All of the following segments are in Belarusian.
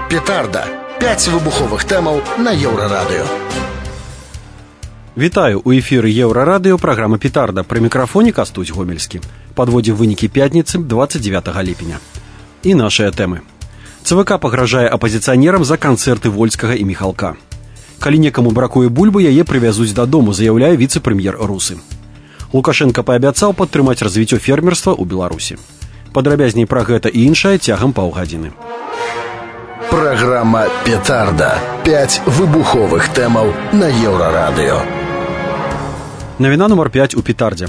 Петарда. 5 выбуховых тэмаў на Еўрарадыё. Вітаю, у эфіры Еўрарадыё, праграма «Петарда». Пры мікрафоне Кастусь Гомельскі. Падводзім вынікі пятніцы 29 ліпеня. І нашыя тэмы. ЦВК пагражае апазіцыянерам за канцэрты Вольскага і Міхалка. Калі некаму бракуе бульбы, яе прывязуць дадому, заяўляе віцэ-прэм'ер Русы. Лукашенко паабяцаў падтрымаць развіццё фермерства ў Беларусі. Падрабязней пра гэта і іншае цягам паўгадзіны. Праграма «Петарда». 5 выбуховых тэмаў на Еўрарадыё. Навіна нумар 5 у «Петардзе».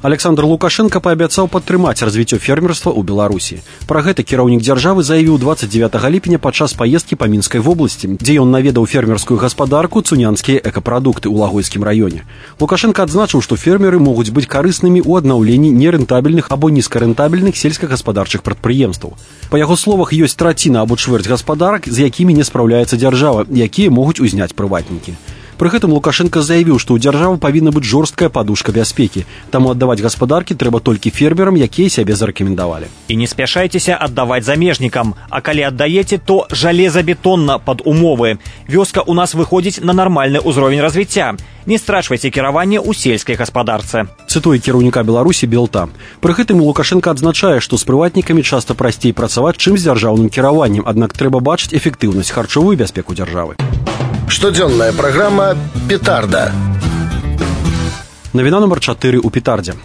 Александр Лукашенко паабяцаў падтрымаць развіццё фермерства ў Беларусі. Пра гэта кіраўнік дзяржавы заявіў 29 ліпеня падчас паездкі па Мінскай вобласці, дзе ён наведаў фермерскую гаспадарку «Цунянскія экапрадукты» ў Лагойскім раёне. Лукашенко адзначыў, што фермеры могуць быць карыснымі ў аднаўленні нерэнтабельных або нізкарэнтабельных сельскагаспадарчых прадпрыемстваў. Па яго словах, ёсць траціна або чвэрць гаспадарак, з якімі не спраўляецца дзяржава, якія могуць узняць прыватнікі. Пры гэтым Лукашенко заявіў, што ў дзяржавы павінна быць жорсткая падушка бяспекі, таму аддаваць гаспадаркі трэба толькі фермерам, якія сябе зарэкамендавалі. І не спяшайцеся аддаваць замежнікам, а калі аддаеце, то жалезабетонна пад умовы. Вёска ў нас выходзіць на нармальны ўзровень развіцця. Не страчвайце кіраванне ў сельскай гаспадарцы. Цытуе кіраўніка Беларусі Белта. Пры гэтым Лукашенко адзначае, што з прыватнікамі часта прасцей працаваць, чым з дзяржаўным кіраваннем, аднак трэба бачыць эфектыўнасць харчовую бяспеку дзяржавы. Штодзённая праграма «Петарда». Навіна нумар 4 у «Петардзе».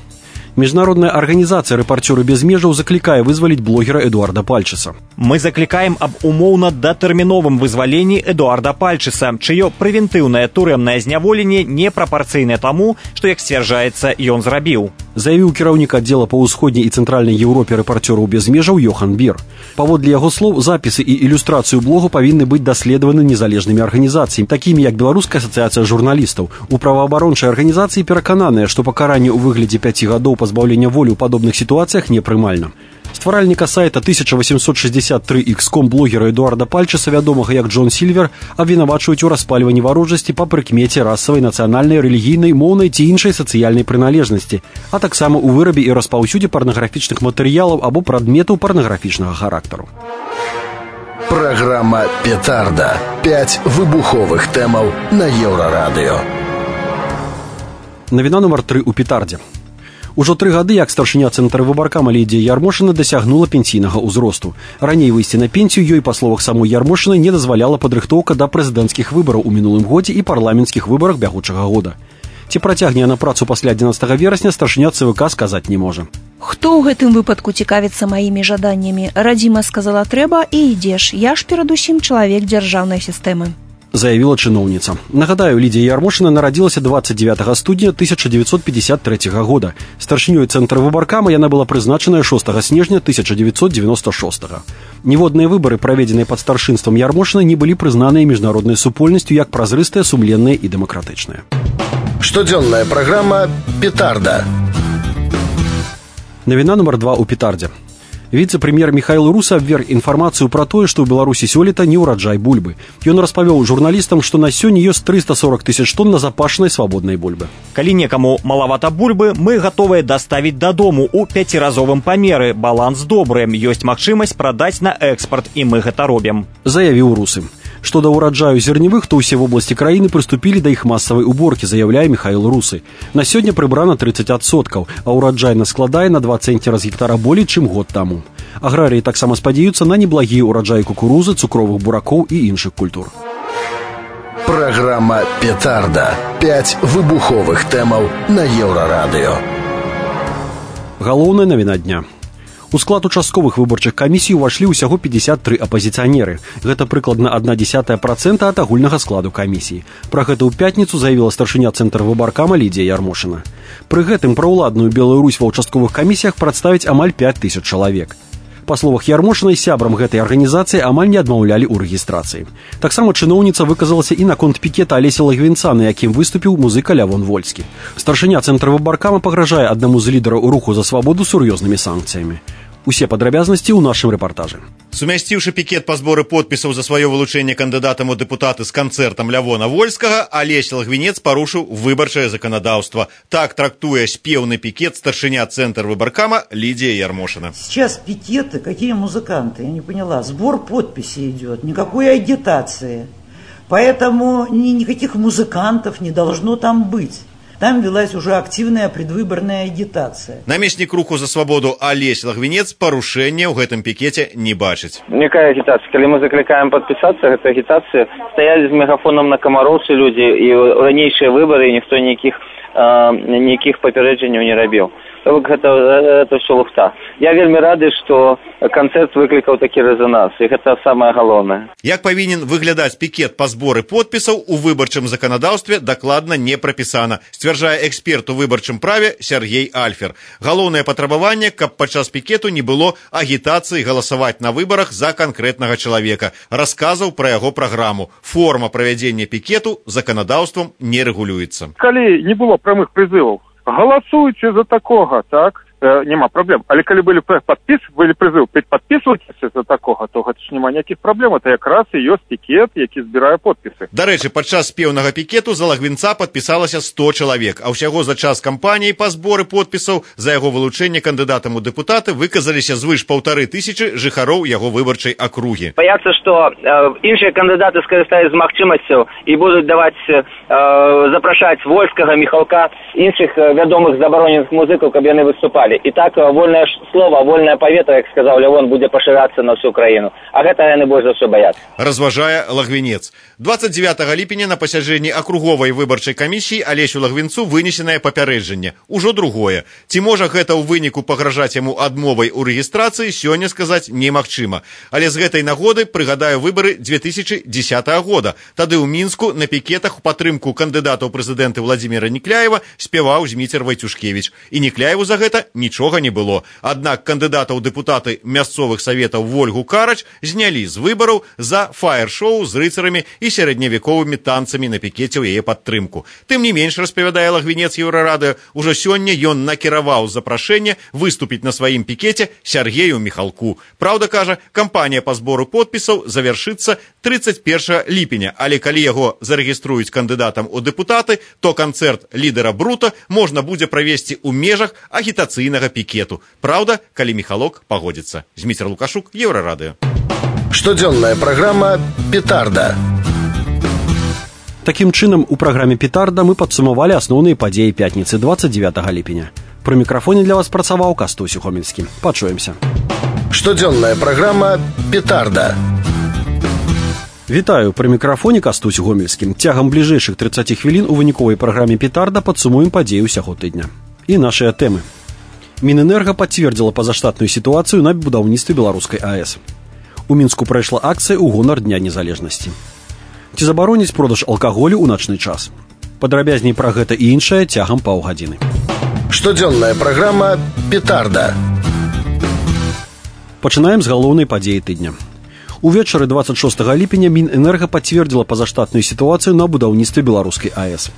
Міжнародная арганізацыя «Рэпарцёры без межаў» заклікае вызваліць блогера Эдуарда Пальчыса. Мы заклікаем аб умоўна датэрміновым вызваленні Эдуарда Пальчыса, чыё прэвентыўнае турэмнае зняволенне непрапарцыйнае таму, што, як сцвярджаецца, ён зрабіў. Заявіў кіраўнік аддзела па ўсходняй і цэнтральнай Еўропе «Рэпарцёраў без межаў» Йохан Бір. Паводле яго слоў, запісы і ілюстрацыю блогу павінны быць даследаваны незалежнымі арганізацыямі, такімі як Беларуская асацыяцыя журналістаў. У праваабарончай арганізацыі перакананыя, што пакаранне ў выглядзе 5 гадоў пазбаўлення волі ў падобных сітуацыях непрымальна. Стваральніка сайта 1863x.com блогера Эдуарда Пальчыса, вядомага як Джон Сільвер, абвінавачваюць у распальванні варожасці па прыкмеце расавай, нацыянальнай, рэлігійнай, моўнай ці іншай сацыяльнай прыналежнасці, а таксама ў вырабе і распаўсюдзе парнаграфічных матэрыялаў або прадметаў парнаграфічнага характару. Праграма «Петарда». 5 выбуховых тэмаў на Еўрарадыё. Навіна нумар 3 у «Петардзе». Ужо 3 гады, як старшыня цэнтра выбаркама Лідія Ярмошына дасягнула пенсійнага ўзросту. Раней выйсці на пенсію ёй, па словах самой Ярмошыны, не дазваляла падрыхтоўка да прэзідэнцкіх выбараў у мінулым годзе і парламенцкіх выбарах бягучага года. Ці працягне яна працу пасля 11 верасня, старшыня ЦВК сказаць не можа. Хто ў гэтым выпадку цікавіцца маімі жаданнямі? Радзіма сказала трэба і ідзеш. Я ж перадусім чалавек дзяржаўнай сістэмы, заявіла чыноўніца. Нагадаю, Лідія Ярмошына нарадзілася 29 студня 1953 года. Старшынёй цэнтра выбаркама яна была прызначаная 6 снежня 1996. Ніводныя выбары, праведзеныя пад старшынствам Ярмошыны, не былі прызнаныя міжнароднай супольнасцю як празрыстыя, сумленныя і дэмакратычныя. Штодзённая праграма «Петарда». Навіна нумар 2 у «Петардзе». Віцэ-прэм'ер Міхаіл Русы абверг інфармацыю пра тое, што ў Беларусі сёлета не ўраджай бульбы. Ён распавёў журналістам, што на сёння ёсць 340 тысяч тонн назапашанай свабоднай бульбы. Калі некаму малавата бульбы, мы гатовыя даставіць дадому ў 5-разовым памеры. Баланс добры, ёсць магчымасць прадаць на экспарт, і мы гэта робім, заявіў Русы. Што да ўраджаю зерневых, то ўсе вобласці краіны прыступілі да іх масавай уборкі, заяўляе Міхаіл Русы. На сёння прыбрана 30%, а ўраджайна складае на 2 цэнціра з гектара болей, чым год таму. Аграрыі таксама спадзяюцца на неблагія ўраджаі кукурузы, цукровых буракоў і іншых культур. Праграма «Петарда». 5 выбуховых тэмаў на Еўрарадыё. Галоўная навіна дня. У склад участковых выбарчых камісій увайшлі ўсяго 53 апазіцыянеры. Гэта прыкладна 0,1% ад агульнага складу камісіі. Пра гэта ў пятніцу заявіла старшыня цэнтра выбаркама Лідія Ярмошына. Пры гэтым праўладную Белую Русь ва ўчастковых камісіях прадставіць амаль 5000 чалавек. Па словах Ярмошынай, сябрам гэтай арганізацыі амаль не адмаўлялі ў рэгістрацыі. Таксама чыноўніца выказалася і наконт пікета Алесі Лагвінца, на якім выступіў музыка Лявон Вольскі. Старшыня цэнтра выбаркама пагражае аднаму з лідараў руху за свабоду сур'ёзнымі санкцыямі. Усе падрабязнасці ў нашым рэпартажы. Сумясціўшы пікет па зборы подпісаў за сваё вылучэнне кандыдатам у дэпутаты з канцэртам Лявона Вольскага, Алесь Лагвінец парушыў выбарчае заканадаўства. Так трактуе спеўны пікет старшыня Цэнтр выбаркама Лидия Ярмошина. Сейчас пикеты, какие музыканты, я не поняла. Сбор подписей идет, никакой агитации. Поэтому никаких музыкантов не должно там быть. Там велась уже активная предвыборная агитация. Намеснік руху за свабоду Алесь Лагвінец парушэння ў гэтым пікеце не бачыць. Якая агітацыя? Калі мы заклікаем падпісацца, гэта агітацыя. Стаялі з мегафоном на камароўцы людзі, і ў ранейшыя выбары ніхто ніякіх папярэджанняў не рабіў. Это все лухта. Я вельмі рады, што канцэрт выклікаў такі рэзананс, і гэта самае галоўнае. Як павінен выглядаць пікет па зборы подпісаў у выбарчым заканадаўстве дакладна не прапісана, сцвярджае эксперт у выбарчым праве Сергей Альфер. Галоўнае патрабаванне, каб падчас пікету не было агітацыі галасаваць на выбарах за канкрэтнага чалавека. Расказаў пра яго праграму. Форма правядзення пікету заканадаўствам не рэгулюецца. Калі не было прамых прызываў, галасуйце за такога, так? Нема праблем. Але калі былі прызыў падпісвайцеся за такога, то гэта ж няма ніякіх праблем. Это якраз і ёсць пікет, які збірае подпісы. Дарэчы, падчас спеўнага пікету за Лагвінца падпісалася 100 чалавек, а ўсяго за час кампаніі па зборы подпісаў за яго вылучэнне кандыдатам у дэпутаты выказаліся звыш 1500 жыхароў яго выбарчай акругі. Баяцца, што іншыя кандыдаты скарыстаюць з магчымасцю і будуць даваць запрашаць Вольскага, Міхалка, іншых вядомых забароненых музыкаў, каб яны выступалі. І так вольнае слово, вольнае паветра, як сказаў Лявон, будзе пашырацца на всю краіну. А гэта яны больш за ўсё баяцца. Разважае Лагвінец. 29 ліпеня на пасяджэнні акруговай выбарчай камісіі Алесю Лагвінцу вынесенае папярэджанне. Ужо другое. Ці можа гэта ў выніку пагражаць яму адмовай у рэгістрацыі, сёння сказаць немагчыма. Але з гэтай нагоды прыгадаю выбары 2010 года. Тады ў Мінску на пікетах у падтрымку кандыдата ў прэзідэнты Владзіміра Нікляева спяваў Зміцер Вайцюшкевіч. І Нікляеву за гэта нічога не было. Аднак кандыдата ў дэпутаты мясцовых саветаў Вольгу Карач знялі з выбараў за фаер-шоу з рыцарамі і сярэдневяковымі танцамі на пікеце ў яе падтрымку. Тым не менш, распавядае Лагвінец Еўрарадыё, ужо сёння ён накіраваў запрашэнне выступіць на сваім пікеце Сергею Міхалку. Праўда, кажа, кампанія па збору подпісаў завяршыцца 31 ліпеня, але калі яго зарэгіструюць кандыдатам у дэпутаты, то канцэрт лідара Брута можна будзе правесці ў межах агітацыйнага пікету. Праўда, калі Міхалок пагодзіцца. Зміцер Лукашук, Еўрарадыё. Штодзённая праграма «Петарда». Такім чынам, у праграме «Петарда» мы падсумавалі асноўныя падзеі пятніцы 29 ліпеня. Пры мікрафоне для вас працаваў Кастусь Гомельскі. Пачуемся. Штодзённая праграма «Петарда». Вітаю, пры мікрафоне Кастусь Гомельскім. Цягам бліжэйшых 30 хвілін у выніковай праграме «Петарда» падсумуем падзеі ўсяго тыдня. І нашыя тэмы. Мінэнерга пацвердзіла пазаштатную сітуацыю на будаўніцтве беларускай АЭС. У Мінску прайшла акцыя ў гонар Дня незалежнасці. Ці забароніць продаж алкаголю ў начны час? Падрабязней пра гэта і іншае цягам паўгадзіны. Штодзённая праграма «Петарда». Пачынаем з галоўнай падзеі тыдня. Увечары 26 ліпеня Мінэнерга пацвердзіла пазаштатную сітуацыю на будаўніцтве беларускай АЭС.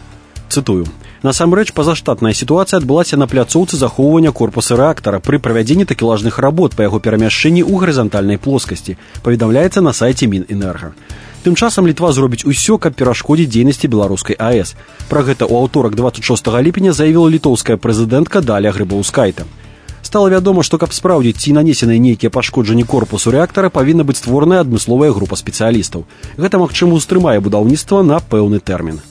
Цытую. Насамрэч, пазаштатная сітуацыя адбылася на пляцоўцы захоўвання корпуса рэактара пры правядзенні такелажных работ па яго перамяшчэнні ў гарызантальнай плоскасці, паведамляецца на сайце Мінэнерга. Тым часам Літва зробіць усё, каб перашкодзіць дзейнасці беларускай АЭС. Пра гэта ў аўторак 26 ліпеня заявіла літоўская прэзідэнтка Даля Грыбаўскайта. Стала вядома, што каб спраўдзіць, ці нанесеныя нейкія пашкоджанні корпусу рэактара, павінна быць створаная адмысловая група спецыялістаў. Гэта, магчыма, устрымае будаўніцтва на пэўны тэрмін.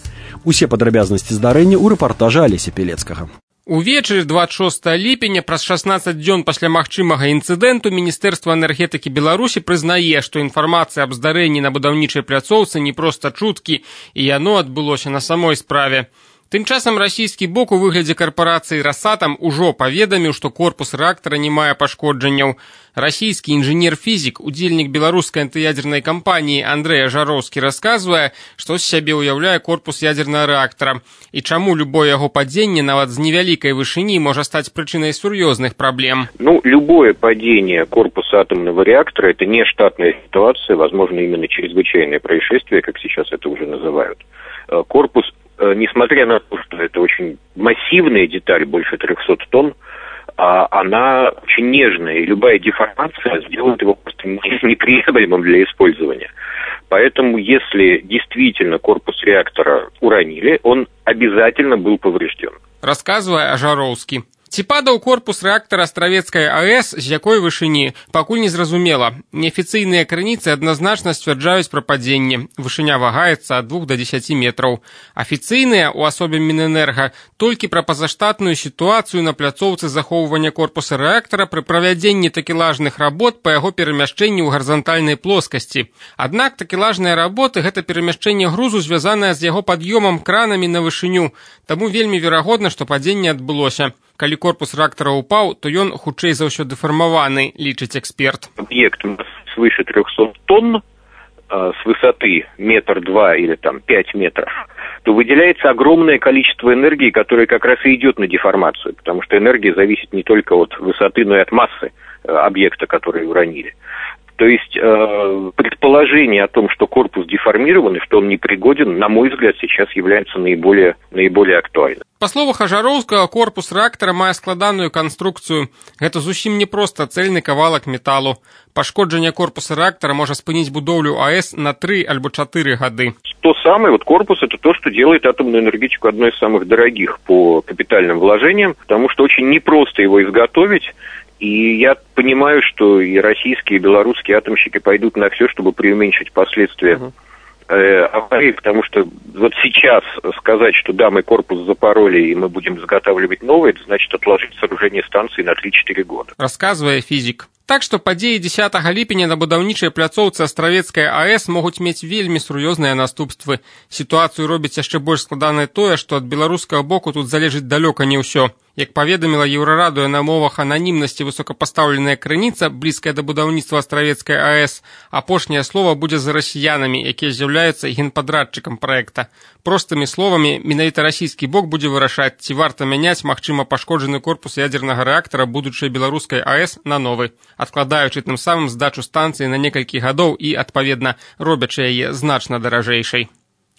Усе падрабязнасці здарэння ў рэпартажы Алеся Пелецкага. Увечары 26 ліпеня, праз 16 дзён пасля магчымага інцыдэнту, Міністэрства энергетыкі Беларусі прызнае, што інфармацыя аб здарэнні на будаўнічай пляцоўцы не проста чуткі, і яно адбылося на самой справе. Тым часам расійскі бок у выглядзе карпорацыі «Росатом» ужо паведаміў, што корпус рэактара не мае пашкоджанняў. Расійскі інжынер-фізік, удзельнік беларускай антыядзернай кампаніі Андрэй Жароўскі расказвае, што з сябе ўяўляе корпус ядзернага рэактара і чаму любое яго падзенне нават з невялікай вышыні можа стаць прычынай сур'ёзных праблем. Любое падение корпуса атомного реактора – это не штатная ситуация, возможно, именно чрезвычайное происшествие, как сейчас это уже называют. Корпус, несмотря на то, что это очень массивная деталь, больше 300 тонн, она очень нежная, и любая деформация сделает его просто неприемлемым для использования. Поэтому, если действительно корпус реактора уронили, он обязательно был поврежден. Рассказывая Ажароўскі. Ці падаў корпус рэактара Астравецкай АЭС, з якой вышыні, пакуль не зразумела. Неафіцыйныя крыніцы адназначна сцвярджаюць пра падзенне. Вышыня вагаецца ад 2 до 10 метраў. Афіцыйныя, у асобе Мінэнерга, толькі пра пазаштатную сітуацыю на пляцоўцы захоўвання корпуса рэактара пры правядзенні такелажных работ па яго перамяшчэнні ў гарызантальнай плоскасці. Аднак такелажныя работы – гэта перамяшчэнне грузу, звязанае з яго пад'ёмам кранамі на вышыню. Таму вельмі верагодна, што падзенне адбылося. Калі корпус рэактара упаў, то ён хутчэй за ўсё дэфармаваны, лічыць эксперт. Объект свыше 300 тонн, с высоты 1-2 метра или 5 метров, то выделяется огромное количество энергии, которое как раз и идет на деформацию, потому что энергия зависит не только от высоты, но и от массы объекта, который уронили. То есть предположение о том, что корпус деформирован и что он непригоден, на мой взгляд, сейчас является наиболее актуальным. Па словах Ажароўскага, корпус рэактара мае складаную канструкцыю. Гэта зусім не проста цэльны кавалак металу. Пашкоджанне корпуса рэактара можа спыніць будоўлю АЭС на 3 альбо 4 гады. То самое, корпус – это то, что делает атомную энергетику одной из самых дорогих по капитальным вложениям, потому что очень непросто его изготовить. И я понимаю, что и российские, и белорусские атомщики пойдут на все, чтобы преуменьшить последствия аварии, потому что вот сейчас сказать, что да, мы корпус запороли и мы будем изготавливать новый, это значит отложить сооружение станции на 3-4 года. Рассказывая физик. Так што падзеі 10 ліпеня на будаўнічай пляцоўцы Астравецкай АЭС могуць мець вельмі сур'ёзныя наступствы. Сітуацыю робіць яшчэ больш складанай тое, што ад беларускага боку тут залежыць далёка не ўсё. Як паведаміла Еўрарадыё на мовах ананімнасці высокапастаўленая крыніца, блізкая да будаўніцтва Астравецкай АЭС, апошняе слова будзе за расіянамі, якія з'яўляюцца генпадрадчыкам праекта. Простымі словамі, менавіта расійскі бок будзе вырашаць, ці варта мяняць магчыма пашкоджаны корпус ядзернага рэактара будучай беларускай АЭС на новы, адкладаючы тым самым здачу станцыі на некалькі гадоў і, адпаведна, робячы яе значна даражэйшай.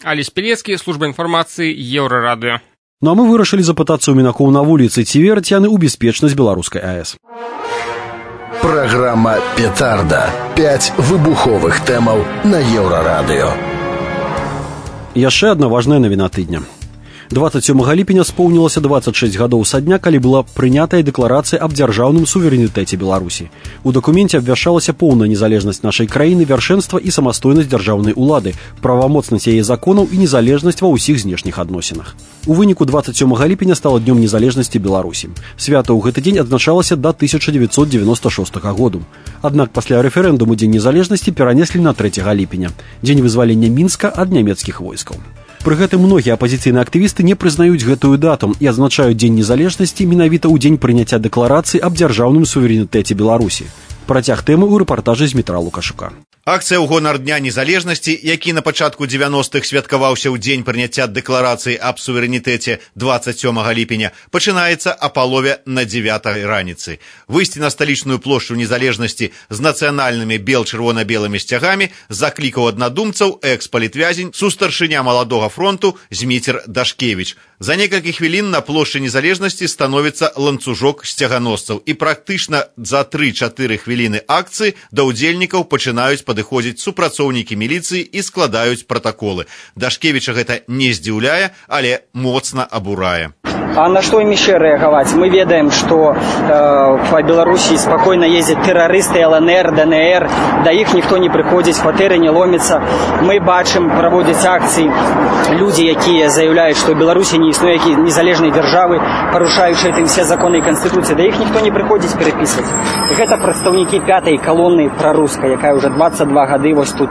Алесь Пелецкі, служба інфармацыі, Еўрарадыё. Ну а мы вырашылі запытацца ў мінакоў на вуліцы, ці вераць яны ў бяспечнасць беларускай АЭС. Праграма «Петарда». 5 выбуховых тэмаў на Еўрарадыё. Яшчэ адна важная навіна тыдня. 27 ліпеня споўнілася 26 гадоў са дня, калі была прынятая дэкларацыя аб дзяржаўным суверэнітэце Беларусі. У дакуменце абвяшчалася поўная незалежнасць нашай краіны, вяршэнства і самастойнасць дзяржаўнай улады, правамоцнасць яе законаў і незалежнасць ва ўсіх знешніх адносінах. У выніку 27 ліпеня стала днём незалежнасці Беларусі. Свята ў гэты дзень адзначалася да 1996 году. Аднак пасля рэферэндуму дзень незалежнасці перанеслі на 3 ліпеня, дзень вызвалення Мінска ад нямецкіх войскаў. Пры гэтым многія апазіцыйныя актывісты не прызнаюць гэтую дату і адзначаюць дзень незалежнасці менавіта ў дзень прыняцця дэкларацыі аб дзяржаўным суверэнітэце Беларусі. Працяг тэмы ў рэпартажы з Дмітра Лукашука. Акцыя ў гонар Дня незалежнасці, які на пачатку 90-х святкаваўся ў дзень прыняцця дэкларацыі аб суверэнітэце 27 ліпеня, пачынаецца а палове на 9 раніцы. Выйсці на сталічную плошчу незалежнасці з нацыянальнымі бел-чырвона-белымі сцягамі заклікаў аднадумцаў экс-палітвязень, сустаршыня маладога фронту Зміцер Дашкевіч. За некалькі хвілін на плошчы незалежнасці становіцца ланцужок сцяганосцаў, і практычна за 3-4 хвіліны акцыі да ўдзельнікаў пачынаюць падыходзіць супрацоўнікі міліцыі і складаюць пратаколы. Дашкевіча гэта не здзіўляе, але моцна абурае. А на что им еще реагировать? Мы ведаем, что по Беларуси спокойно ездят террористы ЛНР, ДНР, до их никто не приходит, в квартиры не ломится. Мы бачим, проводят акции люди, які заявляют, что в Беларуси не існує незалежной державы, порушающие этим все законы и конституции, до их никто не приходит переписывать. Это представники 5-й колонны прорусской, яка уже 22 годы вот тут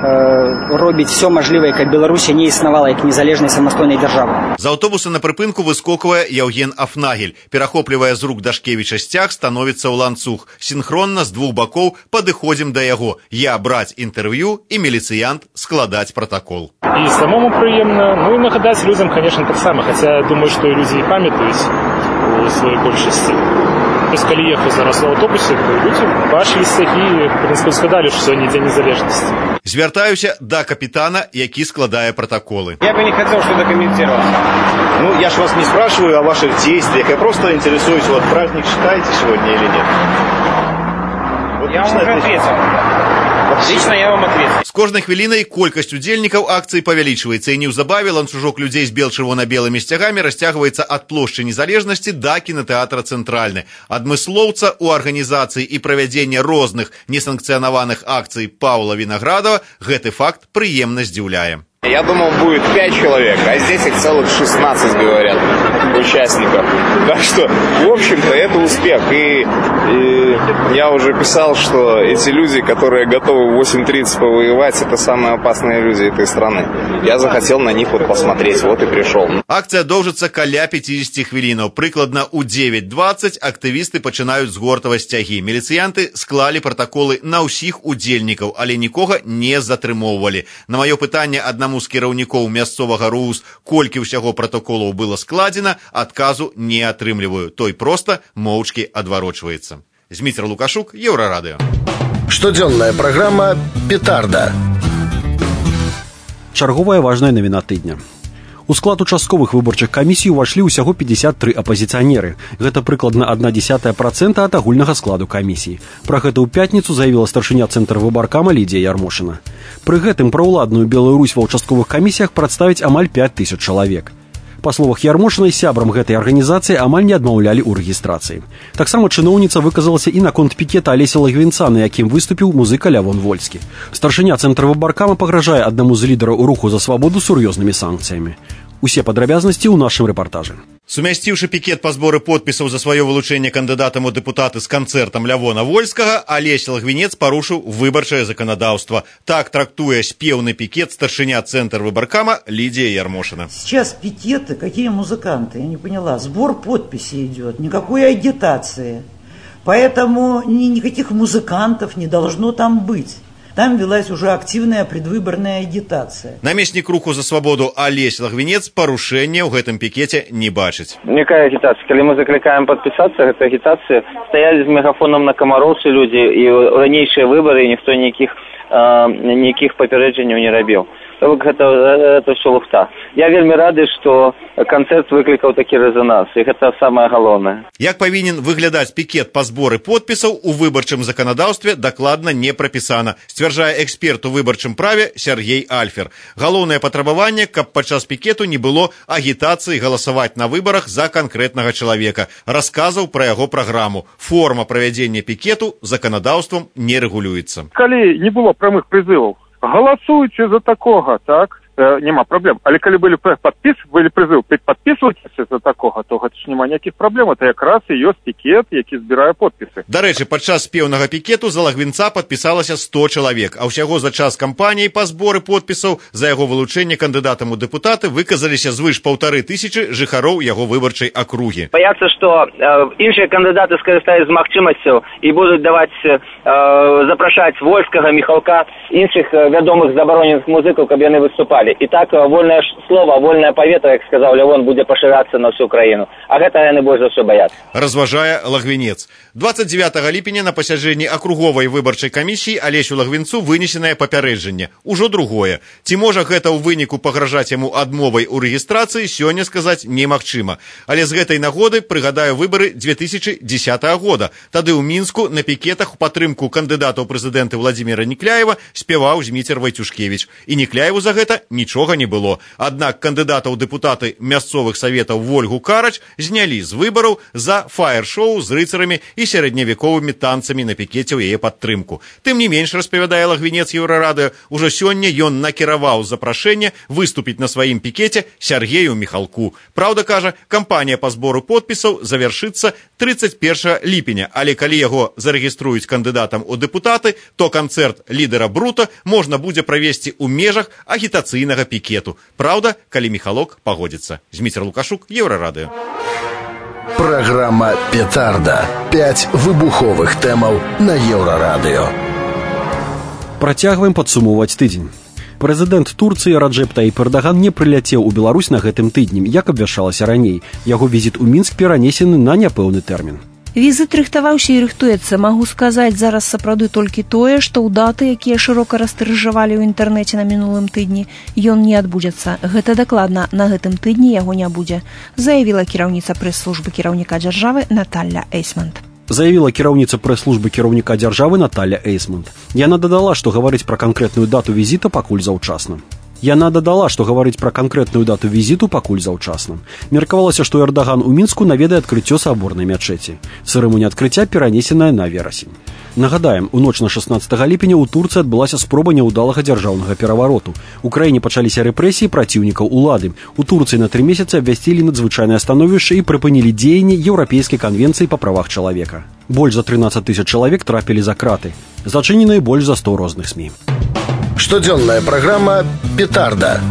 робіць все мажлівае, каб Беларусі не існавала як незалежнай самастойнай дзяржавы. З аўтобуса на прыпынку выскоквае Яўген Афнагель. Перахоплівае з рук Дашкевіча сцяг, становіцца ў ланцуг. Сінхронна з двух бакоў падыходзім да яго. Я браць інтэрв'ю і міліцыянт складаць пратакол. І самому прыемна, ну і нагадаць людзям, конечно, таксама, хаця думаю, што і людзі і памятаюць у сваёй большасці. То есть, калі ехаў зараз у аўтобусе, то людзі бачылі сцягі, в прынцыпе, згадалі, што сёння дзень незалежнасці. Звяртаюся да капітана, які складае протоколы. Я бы не хотел что-то комментировать. Ну, я ж вас не спрашиваю о ваших действиях, я просто интересуюсь, вот праздник считаете сегодня или нет? Вот я вам уже ответил. Лично я вам ответил. З кожнай хвілінай колькасць удзельнікаў акцыі павялічваецца, і неўзабаве ланцужок людзей з бел-чырвона-белымі сцягамі расцягваецца ад плошчы Незалежнасці да кінатэатра Цэнтральны. Адмыслоўца ў арганізацыі і правядзення розных несанкцыянаваных акцый Паўла Вінаградова гэты факт прыемна здзіўляе. Я думал, будет 5 человек, а здесь их целых 16, говорят, участников. Так что, в общем-то, это успех. И я уже писал, что эти люди, которые готовы в 8:30 повоевать, это самые опасные люди этой страны. Я захотел на них вот посмотреть, вот и пришел. Акцыя доўжыцца каля 50 хвілінаў. Прыкладна ў 9:20 актывісты пачынаюць згортаваць сцягі. Міліцыянты склалі пратаколы на ўсіх удзельнікаў, але нікога не затрымоўвалі. На маё пытанне аднаму з кіраўнікоў мясцовага РУС, колькі ўсяго пратаколаў было складзена, адказу не атрымліваю. Той проста моўчкі адварочваецца. Зміцер Лукашук, Еўрарадыё. Штодзённая праграма «Петарда». Чарговая важная навіна тыдня. У склад участковых выбарчых камісій увашлі ўсяго 53 апазіцыянеры. Гэта прыкладна 0,1% ад агульнага складу камісій. Пра гэта ў пятніцу заявіла старшыня цэнтра выбаркама Лідія Ярмошына. Пры гэтым праўладную Беларусь ва ўчастковых камісіях прадставіць амаль 5000 чалавек. Па словах Ярмошынай, сябрам гэтай арганізацыі амаль не адмаўлялі ў рэгістрацыі. Таксама чыноўніца выказалася і наконт пікета Алеся Лагвінца, на якім выступіў музыка Лявон Вольскі. Старшыня цэнтра выбаркама пагражае аднаму з лідараў руху за свабоду сур'ёзнымі санкцыямі. Усе падрабязнасці ў нашым рэпартажы. Сумясціўшы пікет па зборы подпісаў за сваё вылучэнне кандыдатам у дэпутаты з канцэртам Лявона Вольскага, Алесь Лагвінец парушыў выбарчае заканадаўства. Так трактуе спеўны пікет старшыня цэнтр выбаркама Лидия Ярмошина. Сейчас пикеты, какие музыканты, я не поняла. Сбор подписей идет, никакой агитации. Поэтому никаких музыкантов не должно там быть. Там велась уже активная предвыборная агитация. Намеснік руху за свабоду Алесь Лагвінец парушэння ў гэтым пікеце не бачыць. Якая агитация? Калі мы закликаем подписаться, гэта агитация. Стояли с мегафоном на Камароўцы люди, и ранейшие выборы никто никаких папярэджанняў не рабіў. Это все лухта. Я вельмі рады, што канцэрт выклікаў такі рэзонанс, і гэта самае галоўнае. Як павінен выглядаць пікет па зборы подпісаў у выбарчым заканадаўстве дакладна не прапісана, сцвярджае эксперт у выбарчым праве Сергей Альфер. Галоўнае патрабаванне, каб падчас пікету не было агітацыі галасаваць на выбарах за канкрэтнага чалавека, расказаў пра яго праграму. Форма правядзення пікету заканадаўствам не рэгулюецца. Калі не было прамых прызываў, галасуйце за такога, так? Нема праблем. Але калі былі прызыў падпісвайцеся за такога, то гэта ж няма ніякіх праблем. Это якраз і ёсць пікет, які збірае подпісы. Дарэчы, падчас спеўнага пікету за Лагвінца падпісалася 100 чалавек, а ўсяго за час кампаніі па зборы подпісаў за яго вылучэнне кандыдатам у дэпутаты выказаліся звыш 1500 жыхароў яго выбарчай акругі. Баяцца, што іншыя кандыдаты скарыстаюць з магчымасцю і будуць даваць запрашаць Вольскага, Міхалка, іншых вядомых забароненых музыкаў, каб яны выступалі. І так вольнае слова, вольнае паветра, як сказаў Лявон, будзе пашырацца на всю краіну. А гэта яны больш за ўсё баяцца. Разважае Лагвінец. 29 ліпеня на пасяджэнні акруговай выбарчай камісіі Алесю Лагвінцу вынесенае папярэджанне. Ужо другое. Ці можа гэта ў выніку пагражаць яму адмовай у рэгістрацыі, сёння сказаць немагчыма. Але з гэтай нагоды прыгадаю выбары 2010 года. Тады ў Мінску на пікетах у падтрымку кандыдата ў прэзідэнты Владзіміра Нікляева спяваў Зміцер Вайцюшкевіч. І Нікляеву за гэта нічога не было. Аднак кандыдата ў дэпутаты мясцовых саветаў Вольгу Карач знялі з выбараў за фаер-шоу з рыцарамі і сярэдневяковымі танцамі на пікеце ў яе падтрымку. Тым не менш, распавядае Лагвінец Еўрарадыё, ужо сёння ён накіраваў запрашэнне выступіць на сваім пікеце Сергею Міхалку. Праўда, кажа, кампанія па збору подпісаў завяршыцца 31 ліпеня, але калі яго зарэгіструюць кандыдатам у дэпутаты, то канцэрт лідара Брута можна будзе правесці ў межах агітацыйнага пікету. Праўда, калі Міхалок пагодзіцца. Зміцер Лукашук, Еўрарадыё. Программа «Петарда». 5 выбуховых тэмаў на Еўрарадыё. Працягваем падсумоўваць тыдзень. Прэзідэнт Турцыі Раджэп Таіп Эрдаган не прыляцеў у Беларусь на гэтым тыдні, як абвяшчалася раней. Яго візіт у Мінск перанесены на няпэўны тэрмін. Візіт рыхтаваўся і рыхтуецца. Магу сказаць зараз сапраўды толькі тое, што ў даты, якія шырока растыржавалі ў інтэрнэце на мінулым тыдні, ён не адбудзецца. Гэта дакладна, на гэтым тыдні яго не будзе, заявіла кіраўніца прэс-службы кіраўніка дзяржавы Наталля Эйсмонт. Заявіла кіраўніца прэс-службы кіраўніка дзяржавы Наталля Эйсмонт. Яна дадала, што гаварыць пра канкрэтную дату візіта пакуль заўчасна. Меркавалася, што Эрдаган у Мінску наведае адкрыццё саборнай мячэці. Цырымонія адкрыцця перанесеная на верасень. Нагадаем, у ноч на 16 ліпеня ў Турцыі адбылася спроба няўдалага дзяржаўнага перавароту. У краіне пачаліся рэпрэсіі праціўнікаў улады. У Турцыі на 3 месяцы абвясцілі надзвычайнае становішча і прыпынілі дзеянні Еўрапейскай канвенцыі па правах чалавека. Больш за 13 000 чалавек трапілі за краты. Зачыненыя больш за 100 розных СМІ. Штодзённая праграма «Петарда».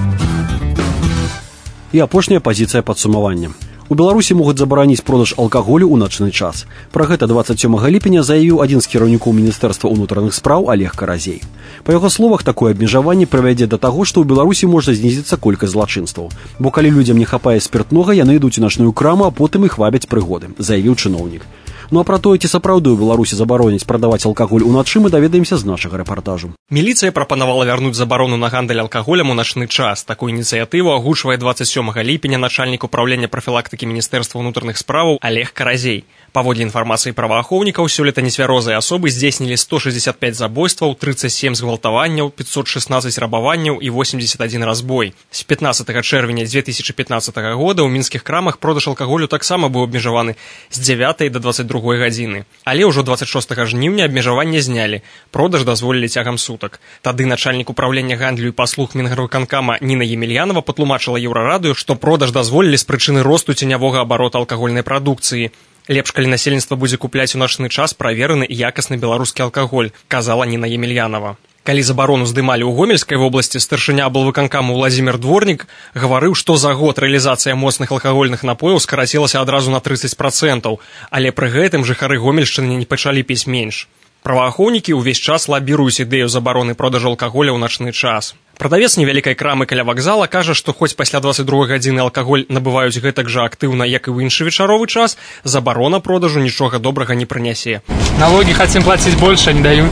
І апошняя пазіцыя падсумавання. У Беларусі могуць забараніць продаж алкаголю ў начны час. Пра гэта 27 ліпеня заявіў адзін з кіраўнікоў Міністэрства ўнутраных спраў Олег Каразей. Па яго словах, такое абмежаванне прывядзе да таго, што ў Беларусі можа знізіцца колькасць злачынстваў. Бо калі людзям не хапае спіртнога, яны ідуць у начную краму, а потым іх вабяць прыгоды, заявіў чыноўнік. Ну а пра тое, ці сапраўды ў Беларусі забароняць прадаваць алкаголь уначы, мы даведаемся з нашага рэпартажу. Міліцыя прапанавала вярнуць забарону на гандаль алкаголем у начны час. Такую ініцыятыву агучвае 27 ліпеня начальнік управлення прафілактыкі Міністэрства ўнутраных справаў Олег Каразей. Паводле інфармацыі праваахоўнікаў, сёлета нецвярозыя асобы здзейснілі 165 забойстваў, 37 згвалтаванняў, 516 рабаванняў і 81 разбой. З 15 чэрвеня 2015 года ў мінскіх крамах продаж алкаголю таксама быў абмежаваны з 9 до 22 гадзіны. Але ўжо 26 жніўня абмежаванне знялі. Продаж дазволілі цягам сутак. Тады начальнік управлення гандлю і паслуг Мінгарвыканкама Ніна Емельянова патлумачыла Еўрарадыё, што продаж дазволілі з прычыны росту ценявога абарота алкагольнай прадукцыі. Лепш, калі насельніцтва будзе купляць у начны час правераны і якасны беларускі алкаголь, казала Ніна Емельянова. Калі забарону здымалі ў Гомельскай вобласці, старшыня аблвыканкаму Владзімір Дворнік гаварыў, што за год рэалізацыя моцных алкагольных напояў скарацілася адразу на 30%, але пры гэтым жыхары Гомельшчыны не пачалі піць менш. Праваахоўнікі ўвесь час лабіруюць ідэю забароны продажу алкаголя ў начны час. Прадавец невялікай крамы каля вакзала кажа, што хоць пасля 22 гадзіны алкаголь набываюць гэтак жа актыўна, як і ў іншы вечаровы час, забарона продажу нічога добрага не прынясе. Налогі хацім плаціць больш, а не даюць.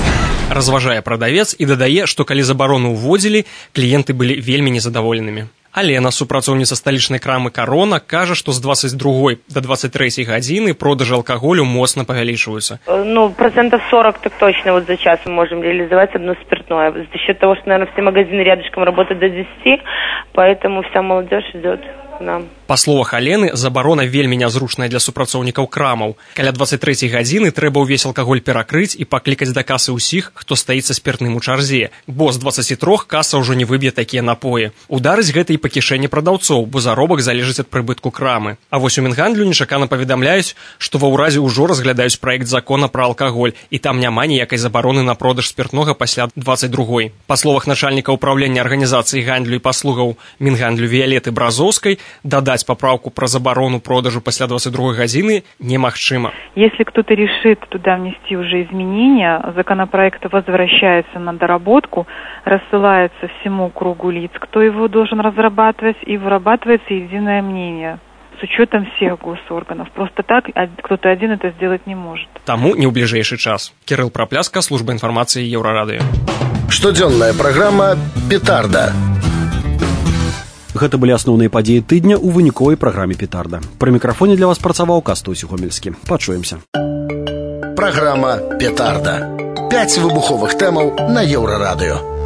Разважае прадавец і дадае, што калі забарону ўводзілі, кліенты былі вельмі незадаволенымі. Алена, супрацоўніца сталічнай крамы «Карона», кажа, што з 22 до 23 гадзіны продажы алкаголю моцна павялічваюцца. 40% так точно вот за час мы можем реализовать одно спиртное. За счет того, что, наверное, все магазины рядышком работают до 10, поэтому вся молодежь идет к нам. Па словах Алены, забарона вельмі нязручная для супрацоўнікаў крамаў. Каля 23 гадзіны трэба ўвесь алкаголь перакрыць і паклікаць да касы ўсіх, хто стаіць са спіртным у чарзе, бо з 23 каса ўжо не выб'е такія напоі. Ударыць гэта і па кішэні прадаўцоў, бо заробак залежыць ад прыбытку крамы. А вось у Мінгандлю нечакана паведамляюць, што ва ўразе ўжо разглядаюць праект закона пра алкаголь, і там няма ніякай забароны на продаж спіртнога пасля 22. Па словах начальніка ўправлення арганізацыі гандлю і паслугаў Мінгандлю Віялеты Бразоўскай, дадаць поправку про заборону продажу после 22 годины немагчыма. Если кто-то решит туда внести уже изменения, законопроект возвращается на доработку, рассылается всему кругу лиц, кто его должен разрабатывать, и вырабатывается единое мнение с учетом всех госорганов. Просто так кто-то один это сделать не может. Таму не ў бліжэйшы час. Кирилл Пропляска, служба информации Еўрарадыё. Штодзённая праграма «Петарда». Гэта былі асноўныя падзеі тыдня ў выніковай праграме «Петарда». Пры мікрафоне для вас працаваў Кастусь Гомельскі. Пачуемся. Праграма «Петарда». 5 выбуховых тэмаў на Еўрарадыё.